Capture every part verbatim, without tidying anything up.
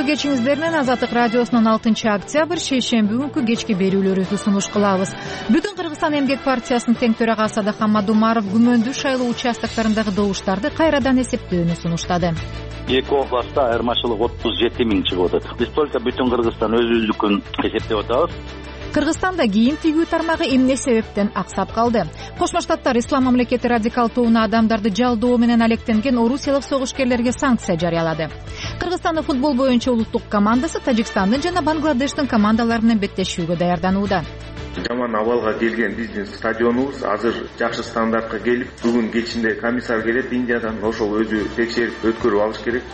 кечиңиздер менен Азаттык радиосунун алтынчы октябрь шейшемби күнкү кечки берүүлөрүбүздү сунуш кылабыз. Бүтүн Кыргызстан эмгек партиясынын тең төрагасы Адакан Мадумаров күмөндүү шайлоо участоктарындагы добуштарды кайрадан эсептөөнү сунуштады. Эки областта айырмачылык отуз жети миң чыгып атат. Биз только бүтүн Кыргызстан өзүлдүкүн эсептеп атабыз. Кыргызстанда кийим тигүү тармагы эмне себептен аксап калды? Кошмо Штаттар ислам мамлекети радикал тобуна адамдарды жалдоо менен алектенген орусиялык согушкерлерге санкция жарыялады. Кыргызстандын футбол боюнча улуттук командасы Тажикстандын жана Бангладештин командалары менен беттешүүгө даярданууда. Жаман абалга келген биздин стадионубуз азыр жакшы стандартка келип, бүгүн кечинде комиссар келет Индиядан, ошол өзү текшерип өткөрүп алыш керек.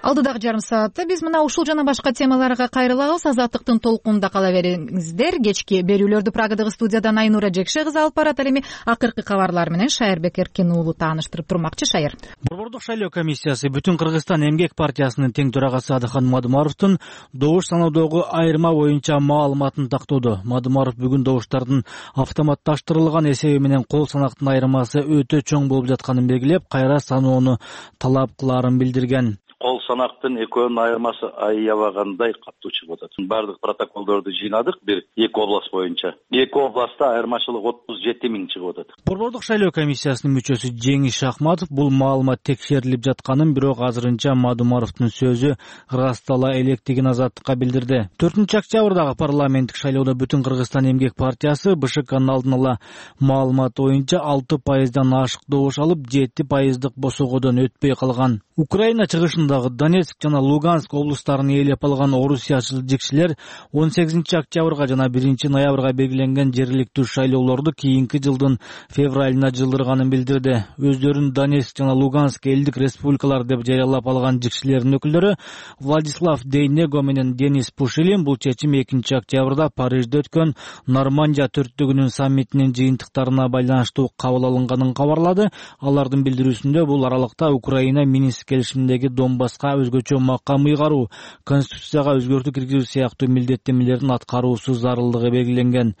Алдыдагы жарым саатта биз мына ушул жана башка темаларга кайрылабыз. Азаттыктын толкунунда кала бериңиздер. Кечки берүүлөрдү Прагадагы студиядан Айнура Жекше кызы алып барат. Ал эми акыркы кабарлар менен Шайырбек Эркин уулу тааныштырып турмакчы. Шайыр. Борбордук шайлоо комиссиясы Бүтүн Кыргызстан эмгек партиясынын тең төрагасы Адакан Мадумаровдун добуш саноодогу айырма боюнча маалыматын тактоодо. Мадумаров бүгүн добуштардын автоматташтырылган эсеби менен кол санактын айырмасы өтө чоң болуп жатканын белгилеп, кайра саноону талап кылаарын билдирген. Кол санактын экөөнүн айырмасы аябагандай катуу чыгып атат. Бардык протоколдорду жыйнадык бир эки област боюнча. Эки областта айырмачылык отуз жети миң чыгып атат. Борбордук шайлоо комиссиясынын мүчөсү Жеңиш Шахматов бул маалымат текшерилип жатканын, бирок азырынча Мадумаровдун сөзү ырастала электигин Азаттыкка билдирди. төртүнчү октябрдагы парламенттик шайлоодо Бүтүн Кыргызстан эмгек партиясы БШКнын алдын ала маалымат боюнча алты пайыздан ашык добуш алып, жети пайыздык босогодон өтпөй калган. Украина чыгышындагы Донецк жана Луганск облустарын ээлеп алган орусиячылар он сегизинчи октябрга жана биринчи ноябрга белгиленген жергиликтүү шайлоолорду кийинки жылдын февралына жылдырганын билдирди. Өздөрүн Донецк жана Луганск элдик республикалар деп жарыялап алган жикшилердин өкүлдөрү Владислав Дейнего менен Денис Пушилин бул чечим экинчи октябрда Парижде өткөн Нормандия төрттүгүнүн саммитинин жыйынтыктарына байланыштуу кабыл алынганын кабарлады. Алардын билдирүүсүндө бул аралыкта Украина Минск келишиминдеги Донбасска өзгөчө макам ыйгаруу, конституцияга өзгөртүү киргизүү сыяктуу милдеттенмелердин аткаруусу зарылдыгы белгиленген.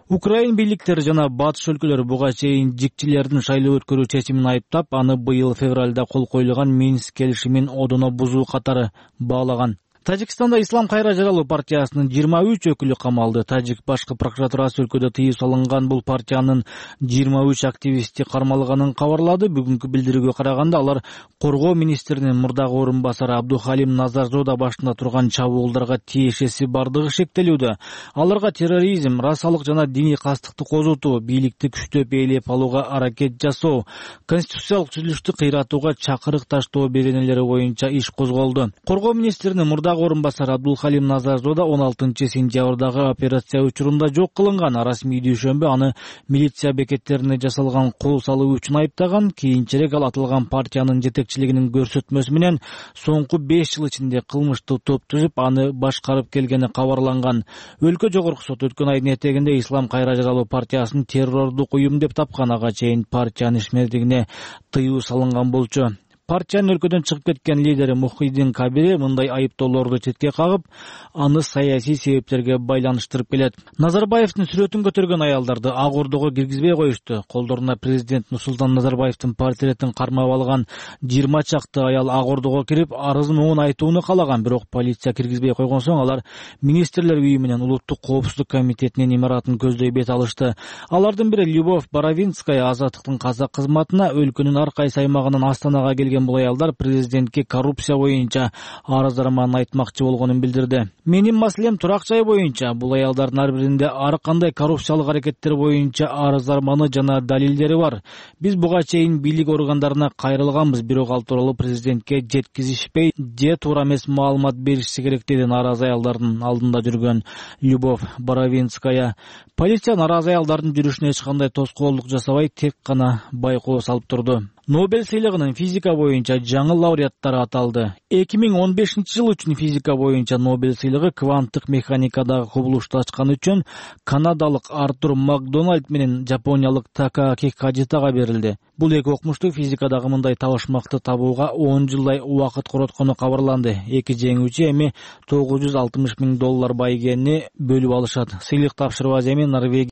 Украин бийликтери жана батыш өлкөлөрү буга чейин жикчилердин шайлоо өткөрүү чечимин айыптап, аны быйыл февралда кол коюлган Минск келишимин одоно бузуу катары баалаган. Тажикстанда Ислам кайра жаралуу партиясынын жыйырма үч өкүлү камалды. Тажик башкы прокуратурасы өлкөдө тыюу салынган бул партиянын жыйырма үч активисти кармалганын кабарлады. Бүгүнкү билдирүүгө караганда, алар коргоо министринин мурдагы орун басары Абдухалим Назарзода башында турган чабуулдарга тиешеси бардыгы шектелүүдө. Аларга терроризм, расалык жана диний кастыкты козутуу, бийликти күчтөп ээлеп алууга аракет жасоо, конституциялык түзүлүштү кыйратууга чакырык таштоо беренелери боюнча иш козголду. Коргоо министринин мурдагы орун басары Абдулхалим Назарзода он алтынчы сентябрдагы операция учурунда жок кылынган. Расмий дүйшөмбү аны милиция бекеттерине жасалган кол салуу үчүн айыптаган. Кийинчерээк ал аталган партиянын жетекчилигинин көрсөтмөсү менен соңку беш жыл ичинде кылмыштуу топ түзүп, аны башкарып келгени кабарланган. Өлкө жогорку соту өткөн айдын этегинде Ислам кайра жаралуу партиясын террордук уюм деп тапкан. Ага чейин партиянын ишмердигине тыюу салынган болчу. Партиянын өлкөдөн чыгып кеткен лидери Мухиддин Кабири мындай айыптоолорду четке кагып, аны саясий себептерге байланыштырып келет. Назарбаевдин сүрөтүн көтөргөн аялдарды ак ордого киргизбей коюшту. Колдоруна президент Нурсултан Назарбаевдин портретин кармап алган жыйырма чакты аял ак ордого кирип, арыз муун айтууну калаган, бирок полиция киргизбей койгон соң алар министрлер үйү менен улуттук коопсуздук комитетинин имаратын көздөй бет алышты. Алардын бири Любовь Боровинская Азаттыктын казак кызматына өлкөнүн ар кайсы аймагынан Астанага келген бул аялдар президентке коррупция боюнча арыз арманын айтмакчы болгонун билдирди. Менин маселем турак жай боюнча. Бул аялдардын ар биринде ар кандай коррупциялык аракеттер боюнча арыз арманы жана далилдери бар. Биз буга чейин бийлик органдарына кайрылганбыз, бирок ал тууралуу президентке жеткизишпей, же туура эмес маалымат беришси керек, деди нааразы аялдардын алдында жүргөн Любовь Боровинская. Полиция нааразы аялдардын жүрүшүнө эч кандай тоскоолдук жасабай, тек гана байкоо салып турду. Нобель сыйлыгынын физика боюнча жаңы лауреаттары аталды. эки миң он бешинчи жыл үчүн физика боюнча Нобель сыйлыгы кванттык механикадагы кубулушту ачкан үчүн канадалык Артур Макдональд менен жапониялык Такааки Кадитага берилди. Бул эки окумушту физикадагы мындай табышмакты табууга он жылдай убакыт короткону кабарланды. Эки жеңүүчү эми тогуз жүз алтымыш миң доллар байгени бөлүп алышат. Сыйлык тапшырбас эми Норвегия